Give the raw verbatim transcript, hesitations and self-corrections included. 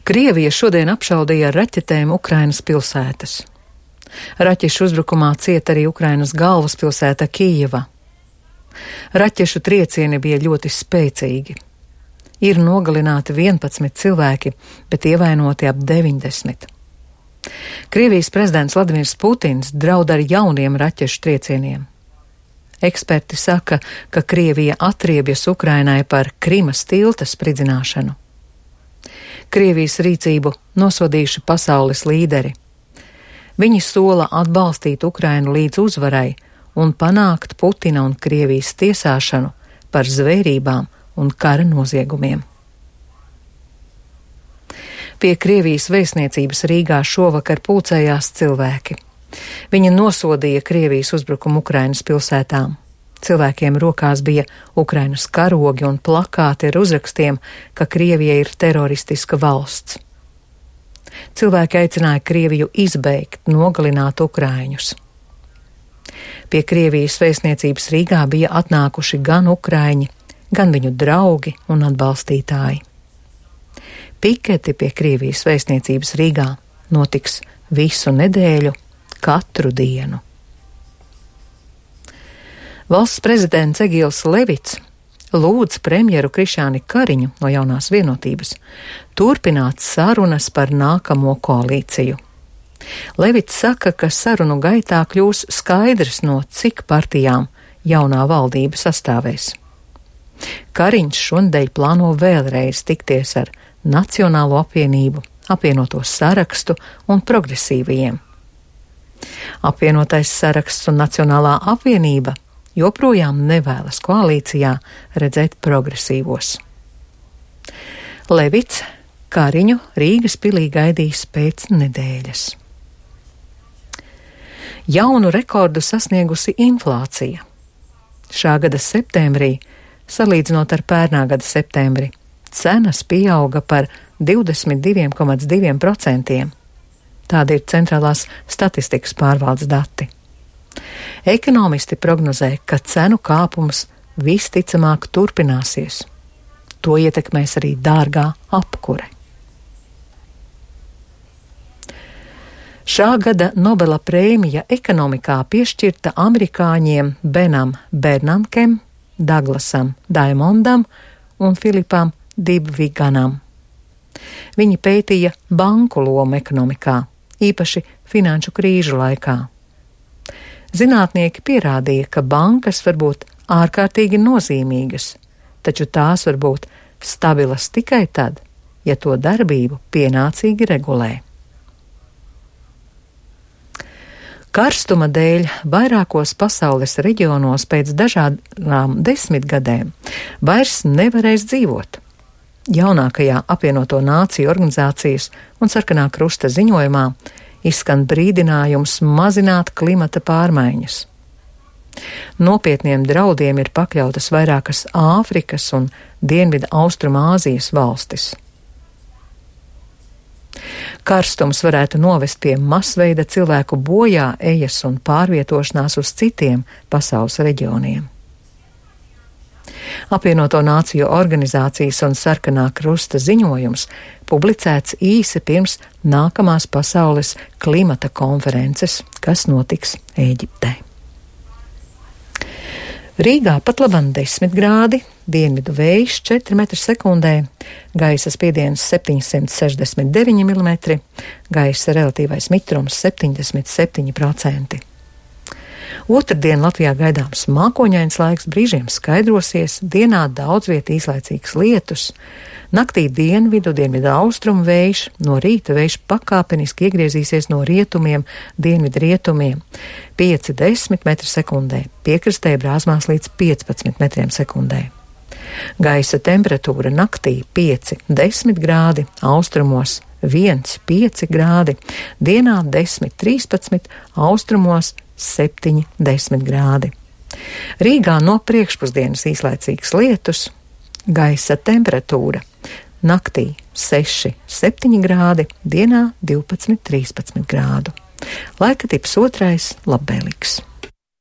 Krievija šodien apšaudīja ar raķetēm Ukrainas pilsētas. Raķešu uzbrukumā cieta arī Ukrainas galvaspilsēta Kijeva. Raķešu triecieni bija ļoti spēcīgi. Ir nogalināti vienpadsmit cilvēki, bet ievainoti ap deviņdesmit. Krievijas prezidents Vladimirs Putins draud ar jauniem raķešu triecieniem. Eksperti saka, ka Krievija atriebjas Ukrainai par Krimas tilta spridzināšanu. Krievijas rīcību nosodījuši pasaules līderi. Viņi sola atbalstīt Ukrainu līdz uzvarai un panākt Putina un Krievijas tiesāšanu par zvērībām un kara noziegumiem. Pie Krievijas vēstniecības Rīgā šovakar pulcējās cilvēki. Viņi nosodīja Krievijas uzbrukumu Ukrainas pilsētām. Cilvēkiem rokās bija Ukrainas karogi un plakāti ar uzrakstiem, ka Krievija ir teroristiska valsts. Cilvēki aicināja Krieviju izbeigt, nogalināt ukraiņus. Pie Krievijas vēstniecības Rīgā bija atnākuši gan ukraiņi, gan viņu draugi un atbalstītāji. Piketi pie Krievijas vēstniecības Rīgā notiks visu nedēļu, katru dienu. Valsts prezidents Egils Levits lūdz premjeru Krišjāni Kariņu no Jaunās vienotības turpināt sarunas par nākamo koalīciju. Levits saka, ka sarunu gaitā kļūs skaidrs, no cik partijām jaunā valdība sastāvēs. Kariņš šonedēļ plāno vēlreiz tikties ar Nacionālo apvienību, apvienoto sarakstu un progresīvajiem. Apvienotais saraksts un Nacionālā apvienība joprojām nevēlas koalīcijā redzēt progresīvos. Levits Kariņu Rīgas pilī gaidīs pēc nedēļas. Jaunu rekordu sasniegusi inflācija. Šā gada septembrī, salīdzinot ar pērnā gada septembri, cenas pieauga par divdesmit divi komats divi procenti. Tādi ir centrālās statistikas pārvaldes dati. Ekonomisti prognozē, ka cenu kāpums visticamāk turpināsies. To ietekmēs arī dārgā apkure. Šā gada Nobela prēmija ekonomikā piešķirta amerikāņiem Benam Bernankam, Daglasam Daimondam un Filipam Dibviganam. Viņi pētīja banku lomu ekonomikā, īpaši finanšu krīžu laikā. Zinātnieki pierādīja, ka bankas var būt ārkārtīgi nozīmīgas, taču tās var būt stabilas tikai tad, ja to darbību pienācīgi regulē. Karstuma dēļ vairākos pasaules reģionos pēc dažādām desmitgadēm vairs nevarēs dzīvot. Jaunākajā apvienoto nāciju organizācijas un Sarkanā krusta ziņojumā izskan brīdinājums mazināt klimata pārmaiņas. Nopietniem draudiem ir pakļautas vairākas Āfrikas un Dienvidu Austrumāzijas valstis. Karstums varētu novest pie masveida cilvēku bojā ejas un pārvietošanās uz citiem pasaules reģioniem. Apvienoto nāciju organizācijas un Sarkanā krusta ziņojums publicēts īsi pirms nākamās pasaules klimata konferences, kas notiks Ēģiptē. Rīgā pat labam desmit grādi, dienvidu vējš četri metri sekundē, gaisa spiediens septiņsimt sešdesmit deviņi milimetri, gaisa relatīvais mitrums septiņdesmit septiņi procenti. Otrdien Latvijā gaidāms mākoņains laiks, brīžiem skaidrosies, dienā daudz viet īslaicīgs lietus, naktī dienvidu, dienvidu austrumu vējš, no rīta vējš pakāpeniski iegriezīsies no rietumiem, dienvidu rietumiem, pieci līdz desmit metri sekundē, piekrastē brāzmās līdz piecpadsmit metriem sekundē. Gaisa temperatūra naktī pieci līdz desmit grādi, austrumos viens līdz pieci grādi, dienā desmit līdz trīspadsmit, austrumos septiņi līdz desmit grādi. Rīgā no priekšpusdienas īslaicīgs lietus, gaisa temperatūra naktī seši līdz septiņi grādi, dienā divpadsmit līdz trīspadsmit grādu. Laika tips otrais labvēlīgs.